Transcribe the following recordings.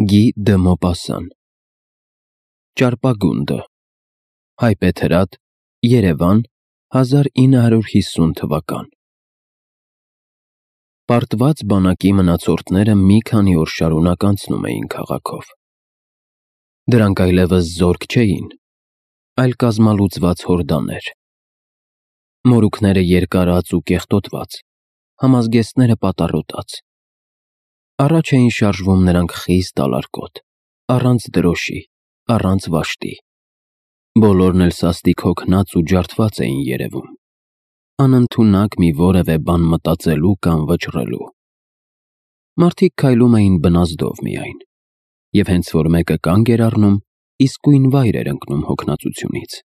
Գի դը Մոպասսան Ճարպագունդը Հայպետ Հրատ Երևան 1950 թվական Պարտված բանակի մնացորդները մի քանի օր շարունակ անցնում էին քաղաքով։ Դրանք այլևս զորք չէին, այլ կազմալուծված հորդաներ։ Մորուքները երկարած ու կեղտոտված, համազգեստները պատառոտած։ Առաջ էին շարժվում նրանք խիստ ալարկոտ, առանց դրոշի, առանց վաշտի։ Բոլորն էլ սաստիկ հոգնած ու ջարդված էին երևում, անընդունակ մի որևէ բան մտածելու կամ վճռելու։ Մարդիկ քայլում էին բնազդով միայն, և հենց որ մեկը կանգ էր առնում, իսկույն վայր էր ընկնում հոգնածությունից։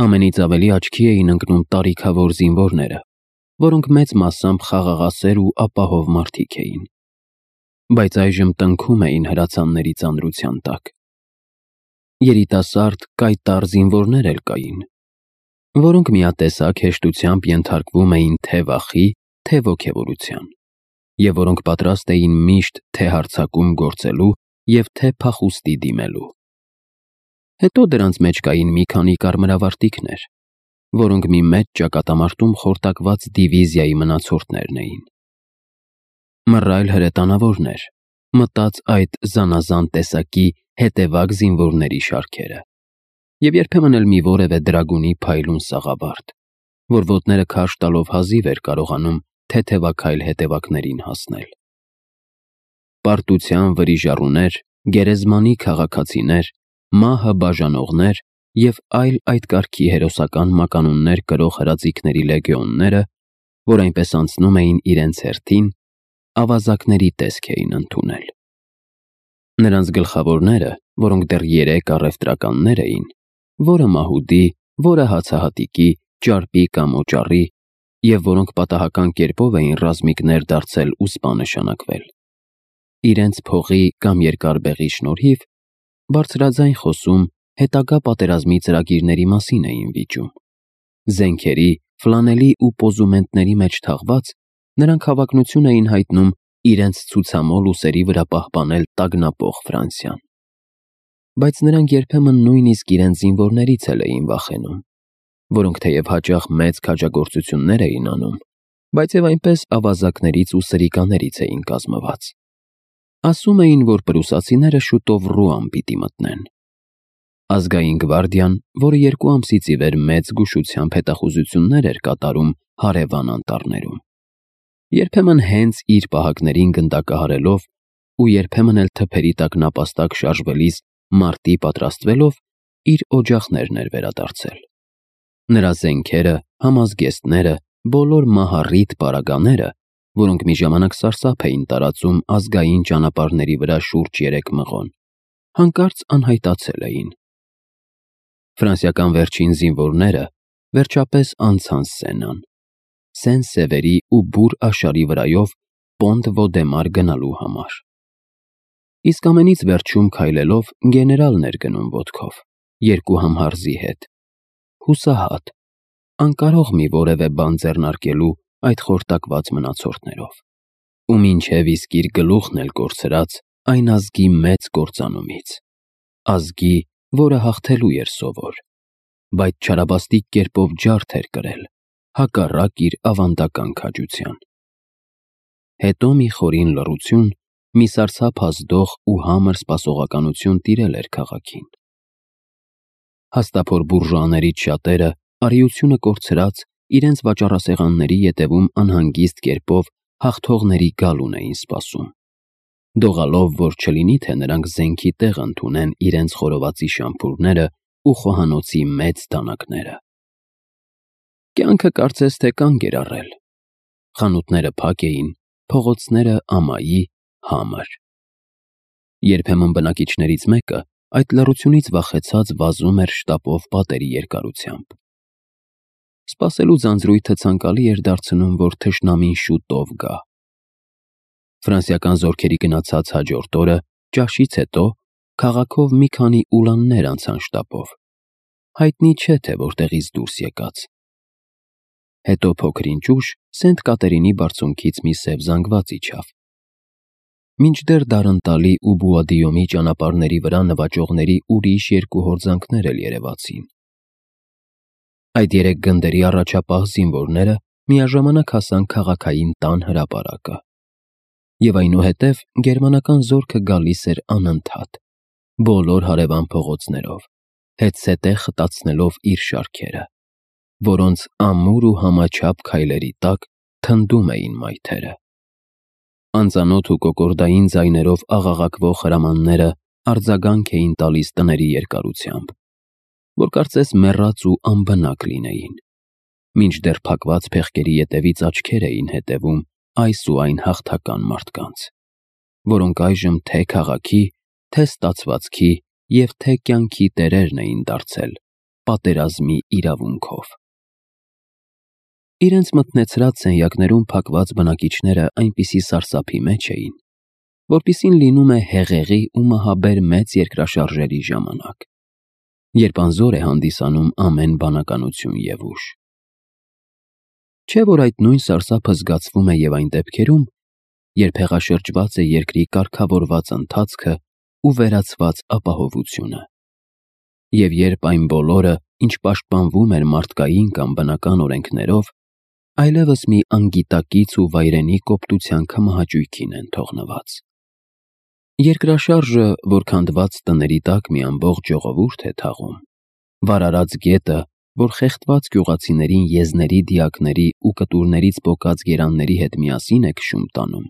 Ամենից ավելի աչքի էին ընկնում տարիքավոր զինվորները, որոնք մեծ մասամբ խաղաղասեր ու ապահով մարդիկ էին, բայց այժմ տնքում էին հրացանների ծանրության տակ։ Երիտասարդ, կայտառ զինվորներ էլ կային, որոնք միատեսակ հեշտությամբ ենթարկվում էին թե վախի, թե ոգևորության, և որոնք պատրաստ էին միշտ թե հարձակում գործելու և թե փախուստի դիմելու։ Հետո դրանց մեջ կային մի քանի կարմրավարտիքներ, որոնք մի մեծ ճակատամարտում խորտակված դիվիզիայի մնացորդներն էին։ Մռայլ հրետանավորներ, մտած այդ զանազան տեսակի հետևակ զինվորների շարքերը, և երբեմն էլ մի որևէ դրագունի փայլուն սաղավարտ, որ ոտները քարշ տալով հազիվ էր կարողանում թեթևաքայլ հետևակներին հասնել։ Պարտության վրիժառուներ, գերեզմանի քաղաքացիներ, մահը բաժանողներ և այլ այդ կարգի հերոսական մականուններ կրող հրաձիգների լեգեոնները, որ այնպես անցնում էին իրենց հերթին, ավազակների տեսք էին ընդունել։ Նրանց գլխավորները, որոնք դեռ 3 առևտրականներ էին, որը մահուդի, որը հացահատիկի, ճարպի կամ օճառի, և որոնք պատահական կերպով էին ռազմիկներ դարձել ու սպա նշանակվել, իրենց փողի կամ երկար բեղի շնորհիվ բարձրաձայն խոսում հետագա պատերազմի ծրագիրների մասին էին վիճում։ Զենքերի, ֆլանելի ու պոզումենտների մեջ թաղված, նրանք հավակնություն էին հայտնում իրենց ցուցամոլ ուսերի վրա պահպանել տագնապող Ֆրանսիան։ Բայց նրանք երբեմն նույնիսկ իրենց զինվորներից էլ էին վախենում, որոնք թեև հաճախ մեծ քաջագործություններ էին անում, բայց և այնպես ավազակներից ու սրիկաներից էին կազմված։ Ասում էին, որ պրուսացիները շուտով Ռուան պիտի մտնեն։ Ազգային գվարդիան, որը 2 ամսից ի վեր մեծ զգուշությամբ հետախուզություններ էր կատարում հարևան անտառներում, երբեմն հենց իր պահակներին գնդակահարելով ու երբեմն էլ թփերի տակ նապաստակ շարժվելիս մարտի պատրաստվելով, իր օջախներն էր վերադարձել։ Նրա զենքերը, համազգեստները, բոլոր մահառիթ պարագաները, որոնք մի ժամանակ սարսափ էին տարածում ազգային ճանապարհների վրա շուրջ 3 մղոն, հանկարծ անհայտացել էին։ Ֆրանսիական վերջին զինվորները վերջապես անցան Սենան, Սեն-Սևերի ու Բուր Աշարի վրայով Պոնտ-Վոդեմար գնալու համար։ Իսկ ամենից վերջում քայլելով գեներալն էր գնում ոտքով, 2 համհարզի հետ, հուսահատ, անկարող մի որևէ բան ձեռնարկելու այդ խորտակված մնացորդներով, ու մինչև իսկ իր գլուխն էլ կորցրած այն ազգի մեծ կործանումից, ազգի, որը հաղթելու էր սովոր, բայց չարաբաստիկ կերպով ջարդ էր կրել, հակառակ իր ավանդական քաջության։ Հետո մի խորին լռություն, մի սարսափազդող ու համր սպասողականություն տիրել էր քաղաքին։ Հաստափոր բուրժուաներից շատերը, արիությունը կորցրած, իրենց վաճառասեղանների ետևում անհանգիստ կերպով հաղթողների գալուն էին սպասում, դողալով, որ չլինի թե նրանք զենքի տեղ ընդունեն իրենց խորովածի շամփուրները ու խոհանոցի մեծ դանակները։ Կյանքը կարծես թե կանգ էր առել։ Խանութները փակ էին, փողոցները ամայի, համր։ Երբեմն բնակիչներից մեկը այդ լռությունից վախեցած վազում էր շտապով պատերի երկարությամբ։ Սպասելու ձանձրույթը ցանկալի էր դարձնում, որ թշնամին շուտով գա։ Ֆրանսիական զորքերի գնացած հաջորդ օրը, ճաշից հետո, քաղաքով մի քանի ուլաններ անցան շտապով, հայտնի չէ թե որտեղից դուրս եկած։ Հետո փոքր ինչ ուշ Սենտ Կատերինի բարձունքից մի սև զանգված իջավ։ մինչդեռ Դարընտալի ու Բուադիոմի ճանապարհների վրա նվաճողների ուրիշ երկու հորձանքներ էլ երևացին։ Այդ երեք գնդերի առաջապահ զինվորները միաժամանակ հասան քաղաքային տան հրապարակը։ Եվ այնուհետև գերմանական զորքը գալիս էր անընդհատ, բոլոր հարևան փողոցներով, հետզհետե խտացնելով իր շարքերը, որոնց ամուր ու համաչափ քայլերի տակ թնդում էին մայթերը։ Անծանոթ ու կոկորդային ձայներով աղաղակվող հրամանները արձագանք էին տալիս տների երկարությամբ, որ կարծես մեռած ու անբնակ լինեին, մինչդեռ փակված փեղկերի ետևից աչքեր էին հետևում այս ու այն հաղթական մարդկանց, որոնք այժմ թե քաղաքի, թե ստացվածքի և թե կյանքի տերերն էին դարձել պատերազմի իրավունքով։ Իրենց մթնեցրած սենյակներում փակված բնակիչները այնպիսի սարսափի մեջ էին, որպիսին լինում է հեղեղի ու մահաբեր մեծ երկրաշարժերի ժամանակ, երբ անզոր է հանդիսանում ամեն բանականություն և ուժ։ Չէ՞ որ այդ նույն սարսափը զգացվում է և այն դեպքերում, երբ հեղաշրջված է երկրի կարգավորված ընթացքը ու վերացված ապահովությունը, և երբ այն բոլորը, ինչ պաշտպանվում էր մարդկային կամ բնական օրենքներով, այլևս մի անգիտակից ու վայրենի կոպտության քմահաճույքին են թողնված։ Երկրաշարժը, որ քանդված տների տակ մի ամբողջ ժողովուրդ է թաղում, վարարած գետը, որ խեղդված գյուղացիներին եզների դիակների ու կտուրներից պոկած գերանների հետ միասին է քշում տանում,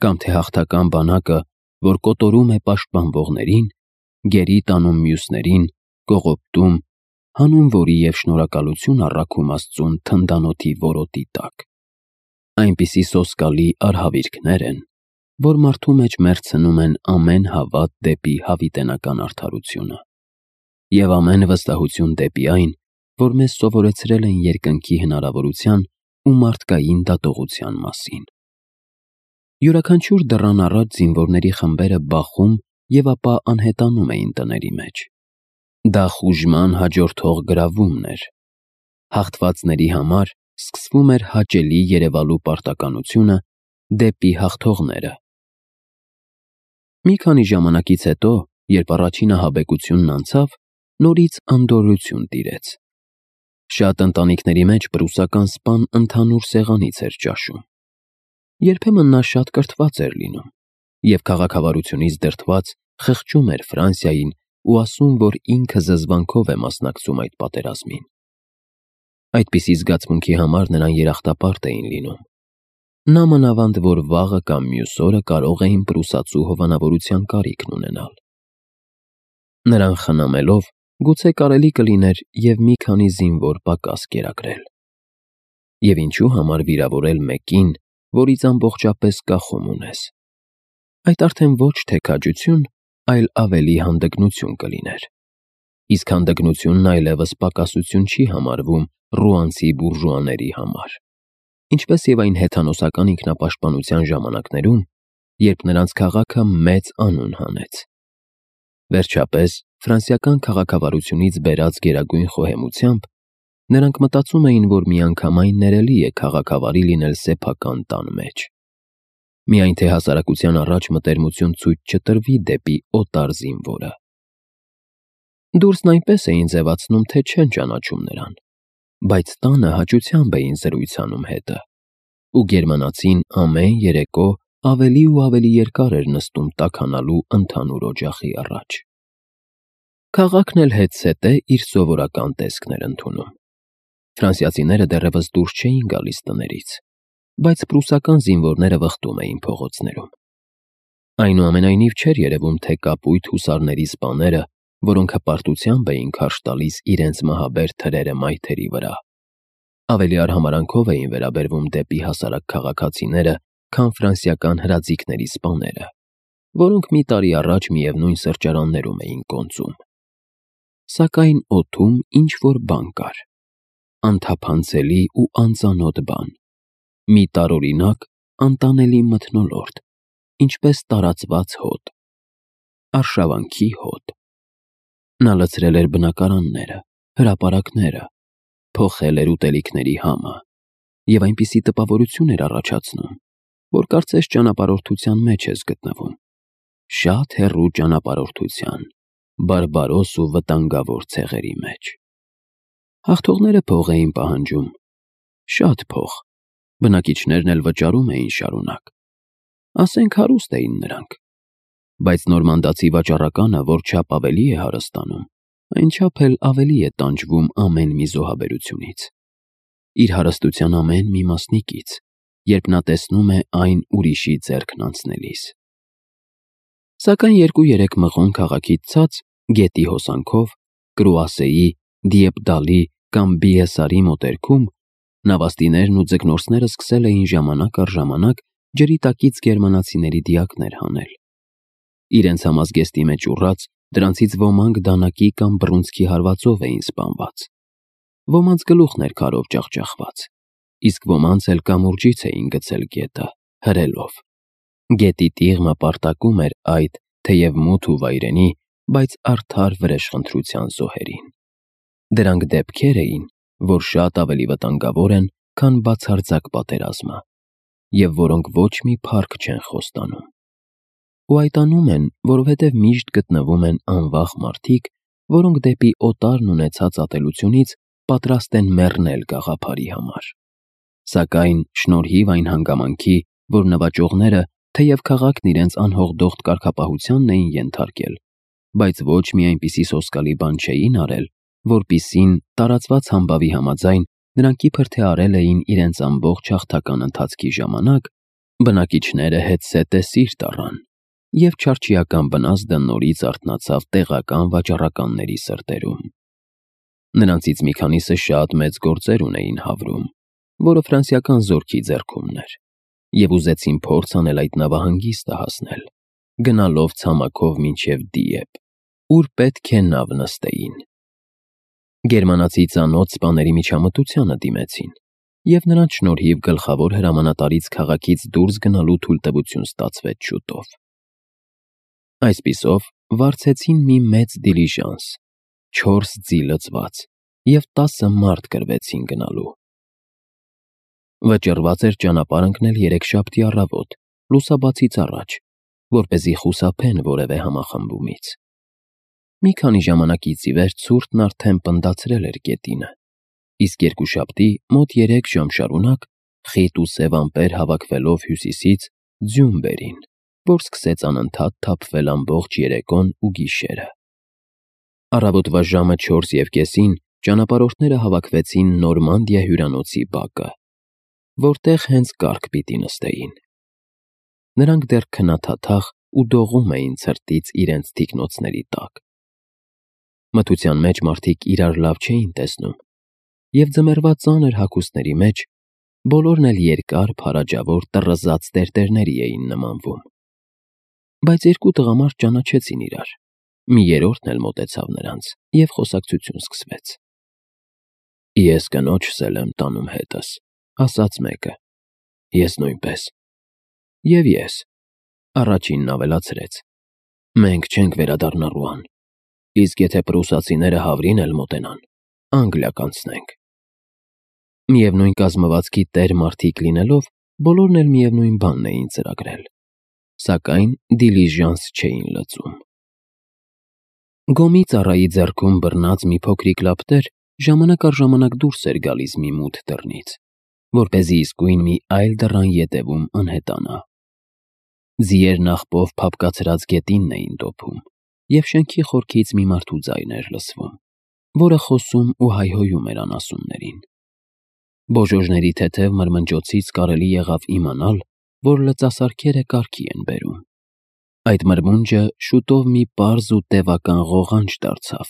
կամ թե հաղթական բանակը, որ կոտորում է պաշտպանվողներին, գերի տանում մյուսներին, կողոպտում, հանուն որի և շնորհակալություն առաքում Աստծուն թնդանոթի որոտի տակ։ Այնպիսի սոսկալի արհավիրքներ են, որ մարդու մեջ մեռցնում են ամեն հավատ դեպի հավիտենական արդարությունը և ամեն վստահություն դեպի այն, որ մեզ սովորեցրել են երկնքի հնարավորության ու մարդկային դատողության մասին։ Յուրաքանչյուր դռան առաջ զինվորների խմբերը բախում և ապա անհետանում էին տների մեջ։ Դա խուժման հաջորդող գրավումն էր։ Հաղթվածների համար սկսվում էր հաճելի երևալու պարտականությունը դեպի հաղթողները։ Մի քանի ժամանակից հետո, երբ առաջին ահաբեկությունն անցավ, նորից անդորրություն տիրեց։ Շատ ընտանիքների մեջ պրուսական սպան ընդհանուր սեղանից էր ճաշում։ Երբեմն նա շատ կրթված էր լինում և քաղաքավարությունից դրդված խղճում էր Ֆրանսիային ու ասում, որ ինքը զզվանքով է մասնակցում այդ պատերազմին։ Այդպիսի զգացմունքի համար նրան երախտապարտ էին լինում։ Նա մանավանդ, որ վաղը կամ մյուս օրը կարող էին պրուսացու հովանավորության կարիքն ունենալ։ Նրան խնամելով, գուցե կարելի կլիներ և մի քանի զինվոր պակաս կերակրել։ Եվ ինչու համար վիրավորել մեկին, որից ամբողջապես կախում ունես։ Այդ արդեն ոչ թե քաջություն, այլ ավելի հանդգնություն կլիներ։ Իսկ հանդգնությունն այլևս պակասություն չի համարվում ռուանցի բուրժուաների համար, ինչպես և այն հեթանոսական ինքնապաշտպանության ժամանակներում, երբ նրանց քաղաքը մեծ անուն հանեց։ Վերջապես, ֆրանսիական քաղաքավարությունից բերած գերագույն խոհեմությամբ, նրանք մտածում էին, որ միանգամայն ներելի է քաղաքավարի լինել սեփական տան մեջ։ Միայն թե հասարակության առաջ մտերմություն ցույց չտրվի դեպի օտար զինվորը։ Դուրսն այնպես էին ձևացնում, թե չեն ճանաչում նրան, բայց տանը հաճությամբ էին զրույց անում հետը, ու գերմանացին ամեն երեկո ավելի ու ավելի երկար էր նստում տաքանալու ընդհանուր օջախի առաջ։ Քաղաքն էլ հետզհետե իր սովորական տեսքն էր ընդունում։ Ֆրանսիացիները դեռևս դուրս չէին գալիս տներից, բայց պրուսական զինվորները վխտում էին փողոցներում։ Այնուամենայնիվ չէր երևում, թե կապույտ հուսարների սպաները, որոնք հպարտությամբ էին քարշ տալիս իրենց մահաբեր թրերը մայթերի վրա, ավելի արհամարհանքով էին վերաբերվում դեպի հասարակ քաղաքացիները, քան ֆրանսիական հրաձիգների սպաները, որոնք մի տարի առաջ միևնույն սրճարաններում էին կոնծում։ Սակայն օդում ինչ-որ բան կար, անթափանցելի ու անծանոթ բան, մի տարօրինակ, անտանելի մթնոլորտ, ինչպես տարածված հոտ, արշավանքի հոտ։ Նա լցրել էր բնակարանները, հրապարակները, փոխել էր ուտելիքների համը և այնպիսի տպավորություն էր առաջացնում, որ կարծես ճանապարհորդության մեջ ես գտնվում։ Շատ հեռու ճանապարհորդության, բարբարոս ու վտանգավոր ցեղերի մեջ։ Հաղթողները փող էին պահանջում, շատ փող, բնակիչներն էլ վճարում էին շարունակ։ Ասենք հարուստ էին նրանք, բայց նորմանդացի վաճառականը որչափ ավելի է հարստանում, այնչափ էլ ավելի է տանջվում ամեն մի զոհաբերությունից, իր հարստության ամեն մի մասնիկից, երբ նա տեսնում է այն ուրիշի ձեռքն անցնելիս։ Սակայն 2-3 մղոն քաղաքից ցած, գետի հոսանքով, Կրուասեի, Դիեպդալի կամ Բիեսարի մոտերքում, նավաստիներն ու ձկնորսները սկսել էին ժամանակ առ ժամանակ ջրի տակից գերմանացիների դիակներ հանել։ Իրենց համազգեստի մեջ ուռած, դրանցից ոմանք դանակի կամ բռունցքի հարվածով էին սպանված, ոմանց գլուխն էր քարով ջախջախված, իսկ ոմանց էլ կամուրջից էին գցել գետը, հրելով։ Գետի տիղմը պարտակում էր այդ, թեև մութ ու վայրենի, բայց արդար վրեժխնդրության զոհերին։ Դրանք դեպքեր էին, որ շատ ավելի վտանգավոր են, քան բացարձակ պատերազմը, և որոնք ոչ մի փառք չեն խոստանում։ Ու այդ անում են, որովհետև միշտ գտնվում են անվախ մարդիկ, որոնք դեպի օտարն ունեցած ատելությունից պատրաստ են մեռնել գաղափարի համար։ Սակայն շնորհիվ այն հանգամանքի, որ նվաճողները, թեև քաղաքն իրենց անհողդողդ կարգապահությանն էին ենթարկել, բայց ոչ մի այնպիսի սոսկալի բան չէին արել, որպիսին տարածված համբավի համաձայն նրանք իբր թե արել էին իրենց ամբողջ հաղթական ընթացքի ժամանակ, բնակիչները հետզհետե սիրտ առան, և չարչիական վնասը նորից արթնացավ տեղական վաճառականների սրտերում։ Նրանցից մի քանիսը շատ մեծ գործեր ունեին Հավրում, որը ֆրանսիական զորքի ձեռքումն էր, և ուզեցին փորձ անել այդ նավահանգիստը հասնել, գնալով ցամաքով մինչև Դիեպ, ուր պետք է նավ նստեին։ Գերմանացի ծանոթ սպաների միջամտությանը դիմեցին, և նրանց շնորհիվ գլխավոր հրամանատարից քաղաքից դուրս գնալու թույլտվություն ստացվեց շուտով։ Այսպիսով, վարձեցին մի մեծ դիլիժանս, 4 ձի լցված, և 10 մարդ կրվեցին գնալու։ Վճռված էր ճանապարհ ընկնել երեքշաբթի առավոտ, լուսաբացից առաջ, որպեսզի խուսափեն որևէ համախմբումից։ Մի քանի ժամանակից ի վեր ցուրտն արդեն պնդացրել էր գետինը, իսկ երկուշաբթի մոտ 3 ժամ շարունակ, խիտ ու սև ամպեր հավաքվելով հյուսիսից, ձյուն բերին, որ սկսեց անընդհատ թափվել ամբողջ երեկոն ու գիշերը։ Առավոտվա ժամը 4:30 ճանապարհորդները հավաքվեցին Նորմանդիա հյուրանոցի բակը, որտեղ հենց կառք պիտի նստեին։ Նրանք դեռ քնաթաթախ ու դողում էին ցրտից իրենց թիկնոցների տակ։ Մթության մեջ մարդիկ իրար լավ չէին տեսնում, և ձմեռվա ծանր հագուստների մեջ բոլորն էլ երկար, փարաջավոր տռզած տերտերների էին նմանվում։ Բայց երկու տղամարդ ճանաչեցին իրար, մի երրորդն էլ մոտեցավ նրանց, և խոսակցություն սկսվեց։ «Ես կնոջս էլ եմ տանում հետս», ասաց մեկը։ «Ես նույնպես»։ «Եվ ես», առաջինն ավելացրեց։ «Մենք չենք վերադառնա Ռուան, իսկ եթե պրուսացիները Հավրին էլ մոտենան, Անգլիա կանցնենք»։ Միևնույն կազմվածքի տեր մարդիկ լինելով, բոլորն էլ միևնույն բանն էին ծրագրել, սակայն դիլիժանս չէին լցում։ Գոմի ծառայի ձեռքում բռնած մի փոքրիկ լապտեր ժամանակ առ ժամանակ դուրս էր գալիս մի մութ դռնից, որպեսզի իսկույն մի այլ դռան ետևում անհետանա։ Ձիերն աղբով փափկացրած գետինն էին դոփում, և շենքի խորքից մի մարդու ձայն էր լսվում, որը խոսում ու հայհոյում էր անասուններին։ Բոժոժների թեթև մրմնջոցից կարելի եղավ իմանալ, որ լծասարքերը կարգի են բերում։ Այդ մրմունջը շուտով մի պարզ ու տևական ղողանջ դարձավ,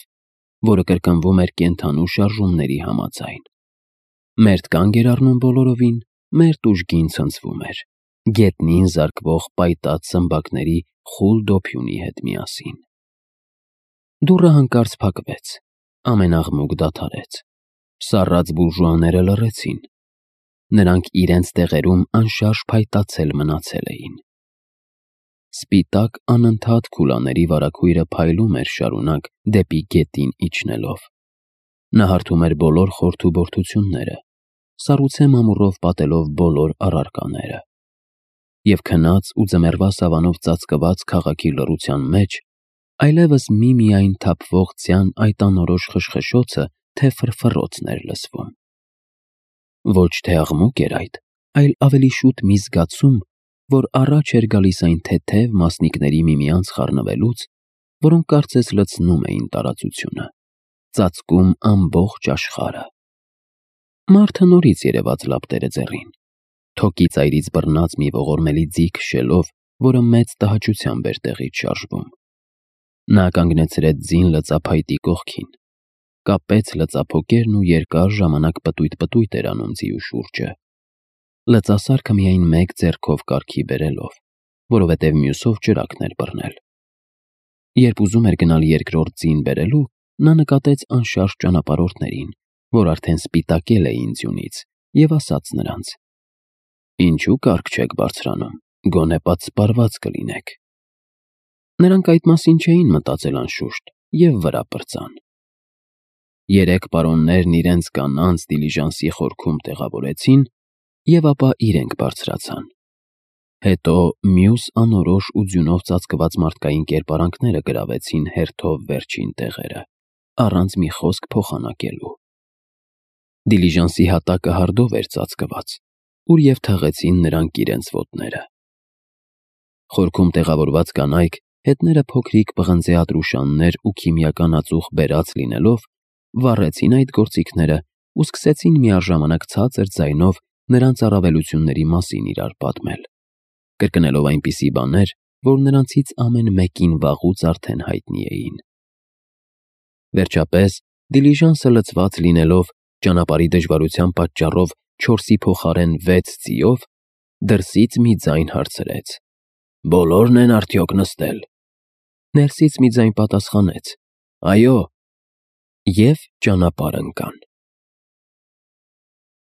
որը կրկնվում էր կենդանու շարժումների համաձայն։ Մերթ կանգ էր առնում բոլորովին, մերթ ուժգին ցնցվում էր, գետնին զարկվող պայտած սմբակների խուլ դոփյունի հետ միասին։ Դուռը հանկարծ փակվեց, ամեն աղմուկ դադարեց, սառած բուրժուաները լռեցին։ Նրանք իրենց տեղերում անշարժ փայտացել մնացել էին։ Սպիտակ անընդհատ քուլաների վարագույրը փայլում էր շարունակ դեպի գետին իջնելով։ Նա հարթում էր բոլոր խորթուբորթությունները, սառուցե մամուռով պատելով բոլոր առարկաները։ և քնած ու ձմեռվա սավանով ծածկված քաղաքի լռության մեջ այլևս միմիայն թափվող ձյան այդ անորոշ խշխշոցը թե ֆռֆռոցն էր լսվում։ Ոչ թե աղմուկ էր այդ, այլ ավելի շուտ մի զգացում, որ առաջ էր գալիս այն թեթև մասնիկների միմյանց խառնվելուց, որոնք կարծես լցնում էին տարածությունը, ծածկում ամբողջ աշխարհը։ Մարդը նորից երևաց լապտերը ձեռին, թոկի ծայրից բռնած մի ողորմելի ձի քշելով, որը մեծ տհաճությամբ էր տեղից շարժվում։ Նա կանգնեցրեց ձին լծափայտի կողքին, կապեց լծափոկերն ու երկար ժամանակ պտույտ էր անում ձիու շուրջը, լծասարքը միայն մեկ ձեռքով կարգի բերելով, որովհետև մյուսով ճրագն էր բռնել։ Երբ ուզում էր գնալ երկրորդ ձին բերելու, նա նկատեց անշարժ ճանապարհորդներին, որ արդեն սպիտակել էին ձյունից, և ասաց նրանց. «Ինչու կարգ չեք բարձրանում, գոնե պատսպարված կլինեք»։ Նրանք այդ մասին չէին մտածել անշուշտ և վրա պրծան։ Երեք պարոններն իրենց կանանց դիլիժանսի խորքում տեղավորեցին և ապա իրենք բարձրացան։ Հետո մյուս անորոշ ու ձյունով ծածկված մարդկային կերպարանքները գրավեցին հերթով վերջին տեղերը, առանց մի խոսք փոխանակելու։ Դիլիժանսի հատակը հարդով էր ծածկված, ուր և թաղեցին նրանք իրենց ոտները։ Խորքում տեղավորված կանայք, հետները փոքրիկ պղնձե ատրուշաններ ու քիմիական ածուխ բերած լինելով, վառեցին այդ գործիքները ու սկսեցին միաժամանակ ցածր ձայնով նրանց առավելությունների մասին իրար պատմել, կրկնելով այնպիսի բաներ, որ նրանցից ամեն մեկին վաղուց արդեն հայտնի էին։ Վերջապես, դիլիժանսը լցված լինելով, ճանապարհի դժվարության պատճառով 4-ի փոխարեն 6 ձիով, դրսից մի ձայն հարցրեց. «Բոլորն են արդյոք նստել»։ Ներսից մի ձայն պատասխանեց. «Այո», և ճանապարհ ընկան։